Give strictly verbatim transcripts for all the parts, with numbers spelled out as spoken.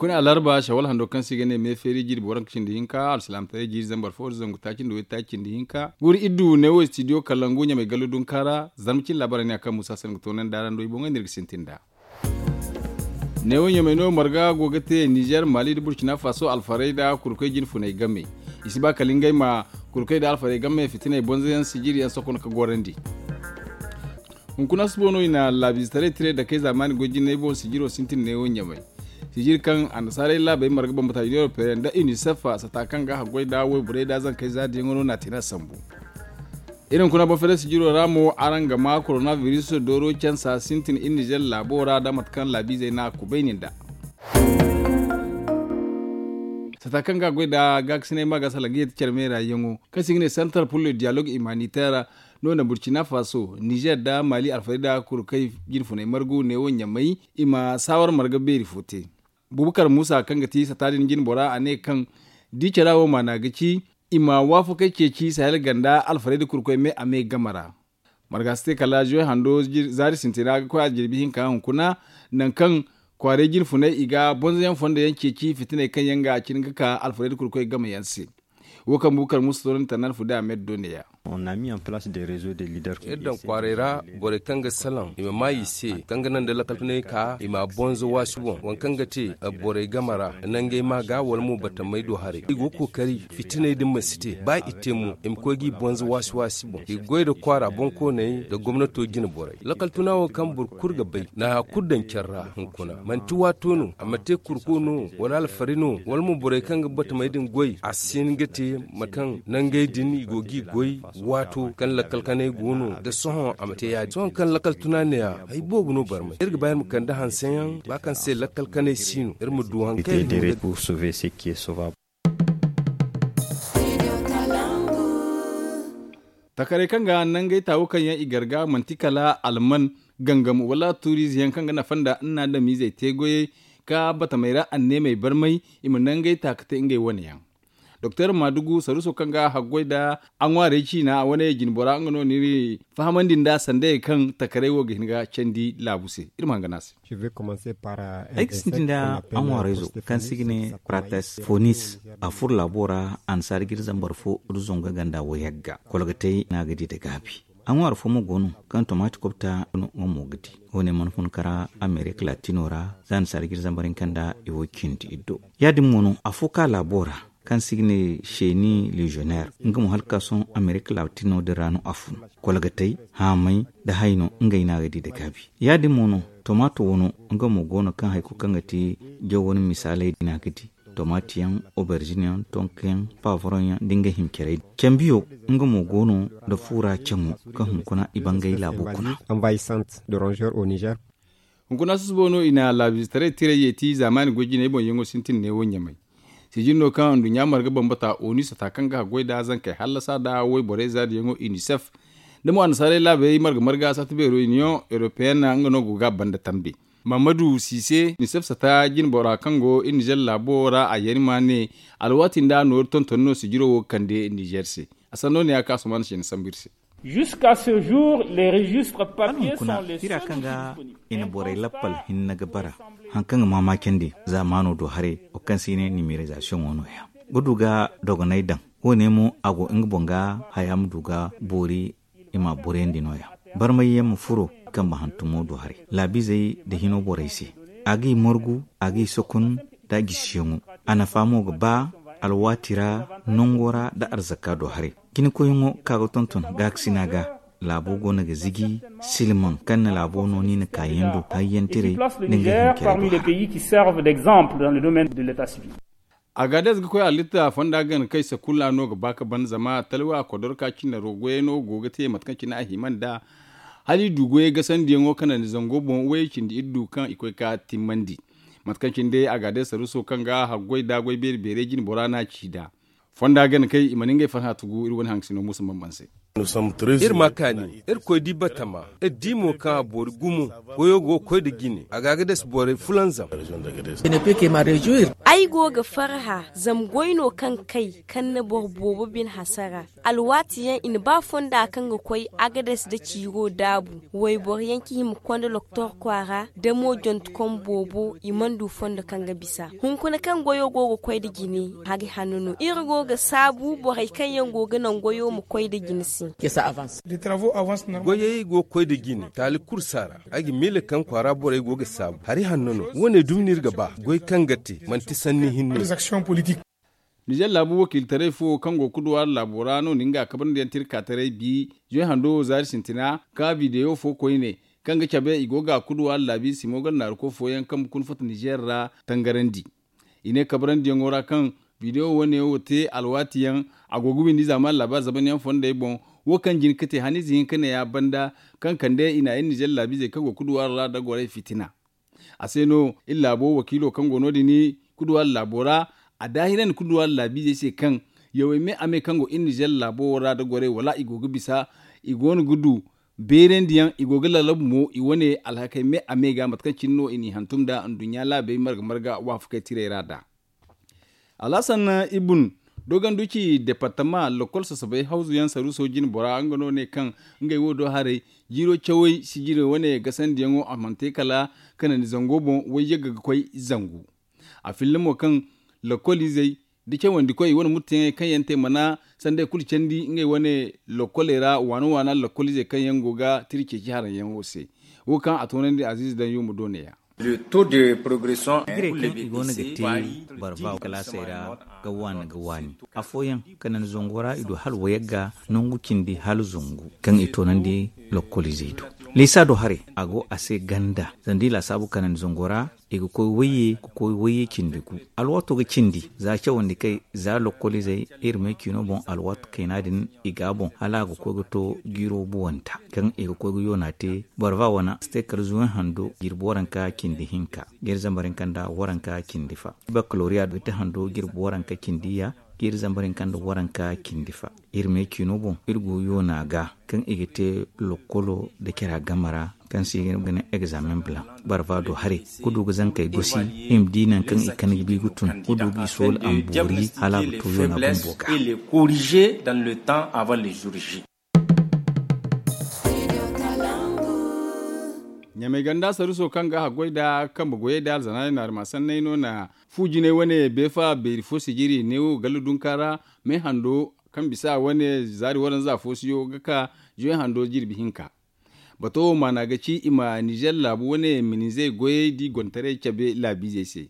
Kuni alarba shawal hando kaŋ se i ga ne me feeri jiiri booranka cindi hinka alsilaamataray jiiri zambar fo da zangu taaci nda waytaaci cindi hinka guuri iddu neewo istidiyo kalangu ɲamay gallu dunka ra. Zarma cine laabaarey ne a kaŋ muusa se ni ga toonandi a ra nda way boŋey no iri ga sintin nd'a. Neewo ɲamay no marga go ga te nizer maali nda burkina faso alfarayda kurkoy jinfunay game. I si ba kala ngey ma kurkoy nda alfaray game fitiney bonzoyaŋ sijiri yaŋ sokon ga gorandi. Hunkuna subo no i na laabiizetaray tiray dakey zaamaani goy jinay boŋ sijiro sintin neewo ɲamay. Sijiri kaŋ annasaarey laabey marga bambata union européenne nda unicef sata kaŋ ga haggoy nda wayborey nda zankey zaadiyaŋo no na a te no a sambu. Iri hunkuna boŋ fere sijiro ra mo araŋ ga ma koronabiris dooro cansa sintin iri nizer laabo ra nda mate kaŋ laabiizey na a kubayni nd'a. Sata kaŋ ga a goy nda gaakasinay ma ga salaŋ ga yeeti care meera yaŋo kaŋ se i ga ne santar pullo diyalog imaniter no na burkina faso nizer nda maali alfarayda kulu kaŋ i jinfunay margu neewo ɲamay i ma saawar marga beeri fo te. Bubakar muusa kaŋ ga ti sata din jinbora a ne kaŋ di cara wo maana ga ci i ma waafakey ceeci sahel ganda alfarayda kulu koy me a me game ra. Marga si te kala zuwe hando zaari sintina ga koy a jirbi hinka hunkuna nangu kaŋ kwaaray jinfunay i ga bonzoyaŋ fondo yaŋ ceeci fitiney kaŋ yaŋ ga a cine ga ka alfarayda kulu koy game yaŋ se. Wo kaŋ bukar musa toonandi tannaan fude a me da do neeya. Iri daŋ kwaaray ra borey kaŋ ga salaŋ i ma maa i se kaŋ ga naŋ da lakal tunay ka i ma bonzo waasi boŋ waŋ kaŋ ga te borey game ra nangey ma ga wala mo batamey do haray i go ga kookari fitiney din ma si te ba i te mo i ma koy ga i bonzo waasi waasi boŋ i ga goy nda kwaara boŋkooney nda gomnato jine borey lakal tuna wo kaŋ boro kulu ga bay na hari kulu daŋ care ra hunkuna manti waato no a ma te kurko no wala alfari no wala mo borey kaŋ ga batamey din goy a si hin ga te mate kaŋ nangey din i go g'i goy waato kaŋ lakkal kanay go no da sohõ a ma te ya-din sohõ kaŋ lakkal tuna ne-ya hari boobo no barmay iri ga ba iri ma kande hanseyaŋ ba kaŋ se lakkal kanay si no iri ma du hari kaŋ iri ga te. Takaray kaŋ ga nangey taawu kaŋ yaŋ i garga manti kala alman gangam wala tuuriize yaŋ kaŋ ga nafa nda nna adamiizey te goyey ka batamey ra anneemey barmay i ma nangey taaka te ngey wane yaŋ. Doktor maadugu saruuso kaŋ ga haggoy nda a ŋwaarey ciina a wane jinbora nga no ni fahamandi nda sandayey kaŋ takaray wo ga hin ga candi laabu se iri ma hangan a se. Ay ga sintin da aŋwaarayzo kaŋ se i ga ne prates fonis a furo laabo ra annasaara jiri zambar fo da zangu ganda wayagga kolgatay no a ga di nda gaabi. Aŋwaara fo mo go no kaŋ tomati kobta no nga mo ga di. Wo- ne mana fun kara amerika latino ra za annasaara jiri zambar hinka nda i wo cindi iddo ya- din mo no afo ka laabo ra kaŋ se i ga ne seeni legionaire nga mo hala ga ka sohõ amerika latino din ra no a fun. Kolgatay haamay nda hayno ngey no a ga di nda gaabi. Ya- din mo no tomato wano nga mo go no kaŋ hari kulu kaŋ ga ti jaw wane misaaley din a ga di tomati yaŋ oberzin yaŋ tonka yaŋ pavron yaŋ nda ngey hima carey din cambiyo nga mo go no nda fuura caŋo kaŋ hunkuna i bangay laabo kuna. Hunkuna susubo no i na laabiizetaray tiray yeeti zaamaani goy jinay boŋ yaŋo sintin neewo ɲamay. Sijiri no kaŋ nduɲɲa marga bambata onu sata kaŋ ga haggoy nda zankey hallasa nda wayborey zaadiyaŋo unicef nda mo annasaarey laabey marga marga sata beero union européenne nga no go ga a banda tambe. Mammadu sise unicef sata jinbora kaŋ go iri nizer laabo ra a yari ma ne alwaati nda nooru tonton no sijiro wo ga kande nizer se. A sanno ne ya kaŋ a sohõ mana se ni sambu iri se. Jusqu'à ce jour les registres papiers sont les seuls outils disponibles. I na borey lappal hinne ga bara haŋ kaŋ ga maamaacandi zaamaano do haray wo kaŋ se i ne nimerizasiyoŋo nooya ga du ga dogonay daŋ. Wo- ne mo a go nga boŋ ga haya ma du ga boori i m'a boriyandi nooya. Barmayyaŋ ma furo kambe hantumo do haray laabiizey nda hino borey se. A g'i margu a g'i sokun nda a gisiyaŋo. A nafa mo ga ba alwaati ra nango ra nda arzaka do haray. Jinakoyyaŋo kaŋ a ga tonton gaakasina ga laabo go no ga ziji silmaŋ kaŋ na laabo no no i na kaayaŋ du hayyantiray nda nga hinkiray do haray. Agadez ga koy halitta fonda gana kay sakulla no ga ba ga ban zama talwa kodorka cine rogoyey no go ga te mate kaŋ cine a hima nda hala i du goyey gasandiyaŋo kaŋ naŋ ni zango boŋ way cindi iddu kaŋ i koy ga timmandi. Mate kaŋ cine day agadez saruuso kaŋ ga haggoy da goy beeri beerey jine bora no a ci nd'a. Fonda gana kay i mana ngey farhã tugu iri wane haŋ sino muusa bambam se. Iri ma kaani, iri koy di batama, iri di mo kaŋ a boori gumo. Goyo go ga koy nda jine a ga a ga dasa borey fulanzam. Ay go ga farhã zama goy no kaŋ kay kaŋ na boro boobo bine hasara. Alwaati yaŋ i na ba fonda kaŋ ga koy agades nda ciiro daabu. Wayboro yaŋ ci hima konda doktor kwaara da mo jontokom boobo i mana du fondo kaŋ ga bisa hunkuna kaŋ goyo go ga koy nda jine. Hari hanno no iri go ga saabu borey kaŋ yaŋ go ga naŋ goyo ma koy nda jine se. Goyey go ga koy nda jine taali kulu si a ra. Ay ga miila kaŋ kwaara borey go ga saabu hari hanno no wo- ne dumi no iri ga ba goy kaŋ ga te manti sanni hinne. Nizer laabu wakiilitaray fo kaŋ go ga kuduwaari laabo ra no na nga kabrandi yaŋ te iri ka taray bi. Zoy hando zaari sintina ka bidewo fo koyne kaŋ ga cabe i go ga kuduwaari laabi simo ganda naaruko fooyaŋ kaŋ ga kuna fatta nizer ra tangarandi. I ne kabrandi yaŋo ra kaŋ bidewo wane wo te alwaati yaŋ a go ga windi zaamaani laabaari zaban yaŋ fondey boŋ. Wo kaŋ jin ga te haniize hinka ne ya banda kaŋ kande i na iri nizer laabiizey kaŋ go ga kuduwaari ra da gorey fitina. A se no iri laabo wakiilo kaŋ go no- din kuduwaari laabo ra a daahirandi kuduwaari laabiizey se kaŋ yawey me a me kaŋ go iri nizer laabo wo ra da gorey wala i go ga bisa i go no ga du beerandi yaŋ i go ga lalabu mo i wane alhakey me a me ga mate kaŋ cine no i n'i hantum nd'a nduɲɲa laabey marga marga waafakey tirey ra nd'a. Alhasan ibun doganduci departama lakkol sasabay hawzu yaŋ saruuso jine bora nga no ne kaŋ ngey wo do haray jiiro cawey sijiri wane gasandiyaŋo a mana te kala kanandi zango boŋ wayyagga ga koy zangu. A filla mo kaŋ lakkol izey da cawandikoy i wane murtayaŋey kaŋ yaŋ te mana sanday kulu candi ngey wane lakkoley ra waana waana lakkol izey kaŋ yaŋ go ga tira ceeci haraŋ yaŋo se. Wo kaŋ a toonandi aziize daŋ yuma do ne- ya. Hijirey kaŋ i go no ga te barba kalaasey ra ga waani ga waani afooyaŋ kanandi zango ra i du hala wayagga nangu cindi hala zangu kaŋ i toonandi lakkol izey do. Liisa do haray a go a se ganda zama da i laasaabu kanandi zango ra i ga koy wayye ga koy wayye cindi gu. Alwaato ga cindi za cawandi kay za lakkol izey iri me ciino boŋ alwaato kayna din i ga a boŋ hala a ga koy ga to jiiro buwanta kaŋ i ga koy ga yoona te barba wane a si te kala zuwan hando jirbi waranka cindi hinka ga iri zambar hinka nda waranka cindi fa. Bakaloriya ga te hando jirbi waranka cindi ya ga iri zambar hinka nda waranka cindi fa. Iri me ciino boŋ iri go yoona ga kaŋ i ga te lakkolo nda cara game ra kaŋ se i ga ne egzaamen blanc barba do haray ga du ga zankey gosi i ma di nangu kaŋ i kande ga bi ga tun ga du ga i soola a ma boori hala a ga to yoona bumbo ga. Ɲamay ganda saruuso kaŋ ga haggoy nda kambe goyey nda alzanaaney naarima sanney no na fu jinay wane beefa beeri fo sijiri neewo galla dunka ra me hando kaŋ bisa wane zaari waranza fo siyo ga ka juwe hando jirbi hinka. Bato wo maana ga ci i ma nizer laabu wane minizey goyey da i gontaray cabe laabiizey se.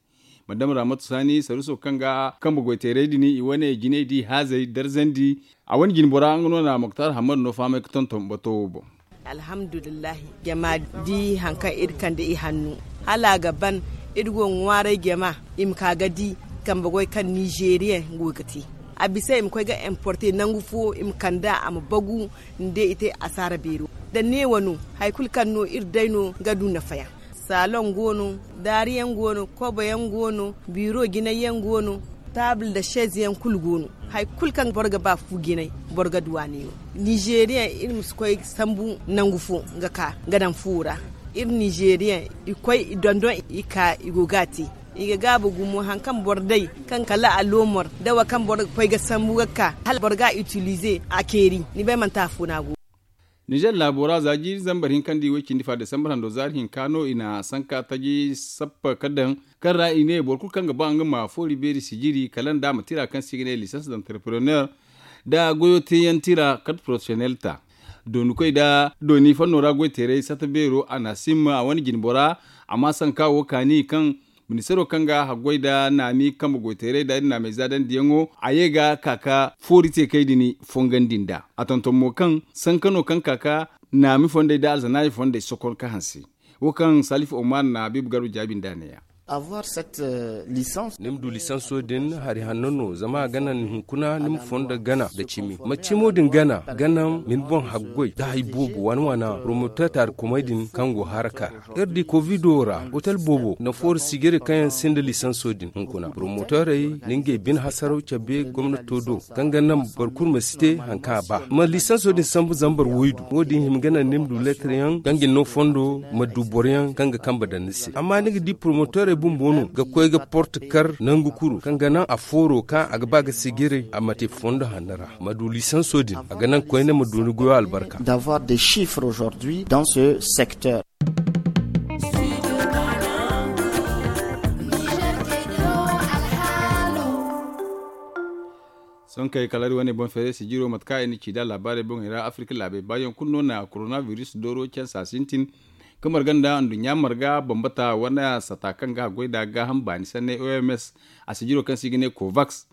Madam ramatu saani saruuso kaŋ ga kambe goyteeray din i wane jinay da i haazey darzandi. A wane jinbora nga no na moktar hammad no fahamay ga tonton bato wo boŋ. Alhamdulillahi jama di hari kaŋ iri kande i hanno hala a ga ban. Iri go ga ŋwaaray jama i ma ka ga di kambe goy kaŋ nizeeriyaŋ go ga te. A bisa i ma koy ga importe nangu fo i ma kand'a a ma bagu. Nda i te asaara beero da neewo no hari kulu kaŋ no iri day no ga du nafayaŋ. Saloŋ go no, daariyaŋ go no, koboyaŋ go no, biiro jinayyaŋ go no, taabul nda seezeyaŋ kulu go no. Hari kulu kaŋ boro ga ba fu jinay boro ga du a neewo. Nizeeriyaŋ iri ma si koy sambu nangu fo ga ka ga daŋ fuwo ra. Iri nizeeriyaŋ i koy i dondon i ka i go ga a te. I ga gaabu gumo hari kaŋ boro day kaŋ kala a loomor da wo kaŋ boro ga koy ga sambu ga ka hala boro ga a itilize a ceeri. Ni bay manti afo no a go. Nizer laabo ra za jiiri zambar hinka nda i way cindi fa desambar hando zaari hinka no i na sanka taji sappa ka daŋ kaŋ ra i ne boro kulu kaŋ ga ba nga ma foori beeri sijiri kala nda a ma tira kaŋ se i ga ne lisans d'entrepreneur nda goyo teeyaŋ tira karte porofesiyonel ta. Dooni koy nda dooni fanno ra goy teeray sata beero a na a simma a wane jinbora. Amma sanka wo kaani kaŋ ministaro kaŋ ga haggoy nda naami kambe goyteeray nda iri naamey zaadandiyaŋo a ye ga ka ka foori teekey din fongandi nd'a a tonton mo kaŋ sanka no kaŋ ka ka naami fondey nda alzanaayi fondey sokon ka hanse. Wo kaŋ salifu omar na habiibu garba jaabi nd'a neeya. Avoir cette licence. Ni ma du lisanso din hari hanno no zama a ga naŋ hunkuna ni ma fondo gana nda cimi ma cimo din gana ga naŋ ma ni boŋ haggoy nda hari boobo waana waana promoter taarikomey din kaŋ go haraka ra. Iri di kovido ra otel boobo na foori sijiri kaŋ yaŋ sinda lisanso din hunkuna promoterey na ngey bine hasaraw cabe gomnato do kaŋ ga naŋ boro kulu ma si te hari kaŋ a ba ma lisanso din sambu zambar waydu wo- din hima ga naŋ ni ma du leetar yaŋ kaŋ ga ni no fondo ma du boro yaŋ kaŋ ga kambe daŋ ni se amma ni ga di promoterey bumbo no ga koy ga porte kar nangu kulu kaŋ ga naŋ a fooro kaŋ a ga ba ga sijiri a ma te fondo hanno ra ma du lisanso din a ga naŋ koyne ma du ni goyo albarka. D'avoir des chiffres aujourd'hui dans ce secteur. Sonkey kala iri wane boŋ feeray sijiro mate kaŋ i na ci nd'a laabaarey boŋey ra afirka laabey baayaŋ kulu no na korona biris dooro cansa sintin ka marga nda nduɲɲa marga bambata wane sata kaŋ ga haggoy nd'a gaaham baani sanney oms a sijiro kaŋ se i ga ne kovaks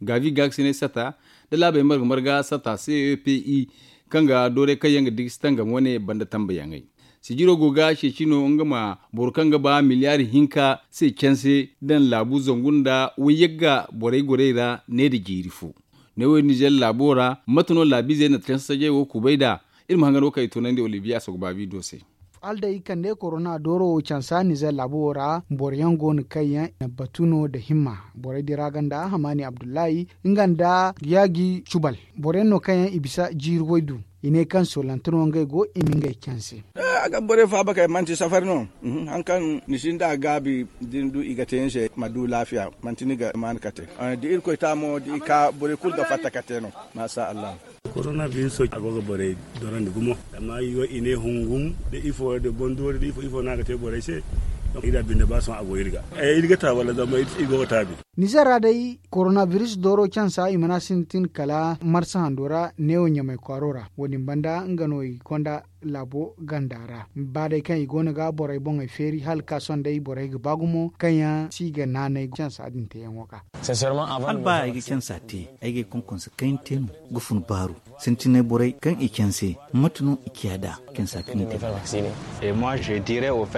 gaavi gaaksiney sata nda laabey marga marga sata cepi kaŋ ga doorey kaŋ yaŋ ga digi si tangam wane banda tambayaŋey. Sijiro go ga ceeci no nga ma boro kaŋ ga ba miliyaari hinka se canse daŋ laabu zangu nda wayyagga borey gorey ra ne nda jiiri fo. Ne wo iri nizer laabo ra mate no laabiizey na canse sajey wo kubay nd'a? Iri ma hangan wo kaŋ i toonandi olibiya sogobaabi do se. Hala day i kande korona dooro wo cansa nizer laabo wo ra boro yaŋ go no kaŋ yaŋ na batu no nda himma. Borey din ra ganda hamaani abdullahi nga nda yaaji cubal boro yaŋ no kaŋ yaŋ i bisa jiiri waydu. I ne kaŋ soolante no ngey go i ma ngey canse. A ga borey faaba kay manti safari no. Hari kaŋ ni sinda gaabi da ni du i ga te ni se ma du laafiya manti ni ga maani kate. Da irkoy ta mo da i ka borey kulu ga fatta kate no. Maasa allah. Korona biiso a go ga borey dorandi gumo. Amma i ne hungum da ifo da bondoori da ifo ifo no a ga te borey se. I da binde ba sohõ a go iri ga iri ga ta wala zama iri go ga taabi. Nizer ra day korona biris dooro cansa i mana sintin kala marsa hando ra neewo ɲamay kwaaro ra wo- din banda nga no i konda laabo ganda ra. Ba day kaŋ i go no ga borey boŋey feeri hala ka sohõ day borey ga ba gumo kaŋ yaŋ si ga naanay cansa din teeyaŋo ga. Hala ba ay ga cansa te ay ga ay konkonse kayna te no ga fun baaru sintinay borey kaŋ i canse mate no i ciya nd'a cansa kaŋ i te.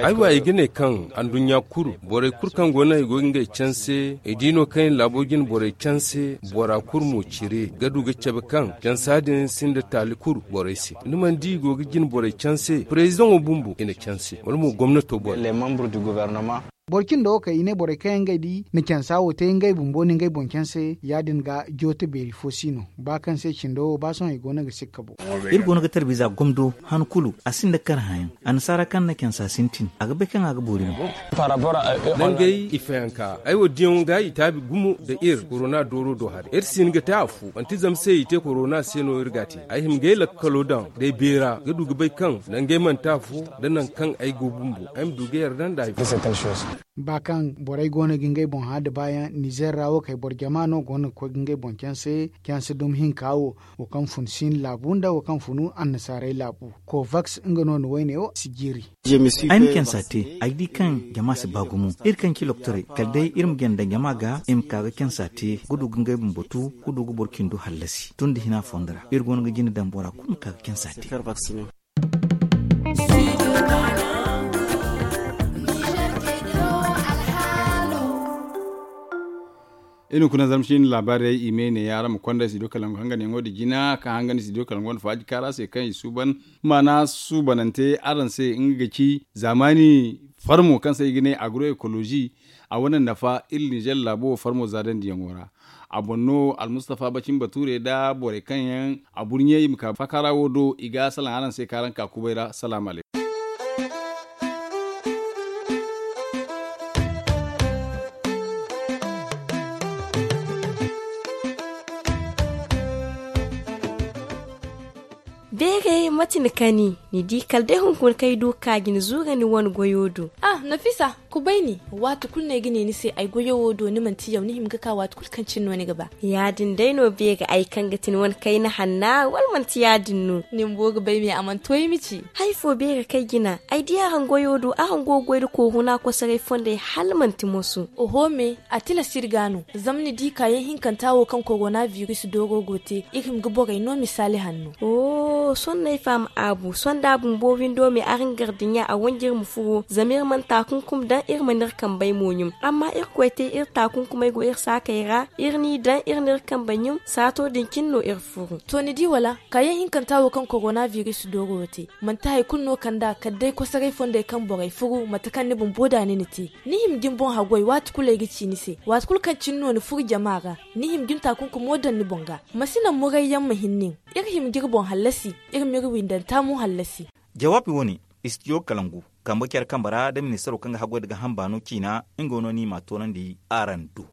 Ay wa i ga ne kaŋ anduɲɲa kulu borey kulu kaŋ go no i go ga ngey canse i di no kaŋ i laabo jine borey canse bora kulu mo cire ga du ga cabe kaŋ cansa din sinda taali kulu borey se ni mana di i go ga jine borey canse prezidaŋo bumbo i na canse wala mo gomnato borey. Boro cindo wo kay i ne borey kaŋ yaŋ ngey di na cansa wo te ngey bumbo na ngey boŋ canse ya- din ga joote beeri fo si no ba kaŋ se cindo wo ba sohõ i go no ga sikka boŋ. Iri go no ga tarbiza gomdo han kulu a sinda kar hayaŋ annasaara kaŋ na cansa sintin a ga bay kaŋ a ga boori no. Nangey i fayanka ay wo diyaŋo ga i taabi gumo nda iri korona dooro do haray iri si hin ga te afo manti zama se i te korona se no iri ga a te ay hima ga ay lakkalo daŋ day beera ga du ga bay kaŋ nangey manti afo nda nangu kaŋ ay go bumbo ay ma du ga yarda nda ay fo. Ba kaŋ borey go no ga ngey boŋ hã da baayaŋ nizer ra wo kay boro jama no go no ga koy ga ngey boŋ canse canse dumi hinka wo wo kaŋ fun sin laabu nda wo kaŋ funu annasaarey laabu kovaks nga no ni wayne wo si jiiri. Ay ma cansa te ay di kaŋ jama si ba gumo iri kaŋ ci loktorey kala day iri ma ganda jama ga i ma ka ga cansa te ga du ga ngey bumbo tu ga du ga boro cindo hallasi tun da hina fondo ra iri go no ga jina daŋ bora kulu ma ka ga cansa te. Iri hunkuna zarma cine laabaarey i me ne araŋ ma konda studio kalangu hanganyaŋo da jina kaŋ hangandi studio kalangu wane faaji kaara se kaŋ i suuban maana suubanante araŋ se nga ga ci zaamaani farmo kaŋ se i ga ne agroecologie a wane nafa iri nizer laabo wo farmo zaadandiyaŋo ra. A boŋ no almustafa bacin bature nda borey kaŋ yaŋ a burɲe i ma ka fakaara wo do i ga salaŋ araŋ se kaŋ araŋ ka kubay ra salaama alaykum. Beeray mate ni kani ni di kala day hunkuna kaŋ ay du ga ka ga ni zuura ni wane goyo do. Ah nafisa, kubay ni waati kulu no ay ga ne ni se ay goyo wo do ni manti yaw ni hima ga ka waati kulu kaŋ cine no ni ga ba. Ya- din day no beeray ay kaŋ ga ti ni wane kayna hanna wala manti ya- din no? Ni bumbo ga bay me a mana to ay ma ci. Hari fo beeray kaŋ ay jina ay di araŋ goyo do araŋ go ga goy nda kooruna kosoray fondey hala manti moso. Oho me, a tilas iri ga no zama ni di kaayaŋ hinkanta wo kaŋ koorona biris dooro go te iri hima ga borey no misaali hanno. Sonney faama aabu sonda bumbo windo me araŋ gardiɲa a wanjir ma furo zama iri mana taakunkum daŋ iri mana iri kambey mo ɲum. Amma irkoy te iri taakunkumey go iri saakey ra iri n'i daŋ iri n'iri kambey ɲum saato din cine no iri furu. To ni di wala kaayaŋ hinkanta wo kaŋ korona biris dooro wo te manti hari kulu no kand'a kala day kosoray fondey kaŋ borey furu mate kaŋ ni bumbo da ni na te. Ni hima ga ni boŋ haggoy waati kulu ay ga ci ni se waati kulu kaŋ cine no ni furu jama ra. Ni hima ga ni taakunkumo daŋ ni boŋ ga. Ma si naŋ murayyaŋ ma hin nin. Iri hima ga iri boŋ hallasi. Iri m'iri windanta mo hallasi. Jawaabi wo- ne, istijo kalangu kambe care kambe ra da ministaro kaŋ ga haggoy nda gaaham baano ciina nga no no i m'a toonandi araŋ do.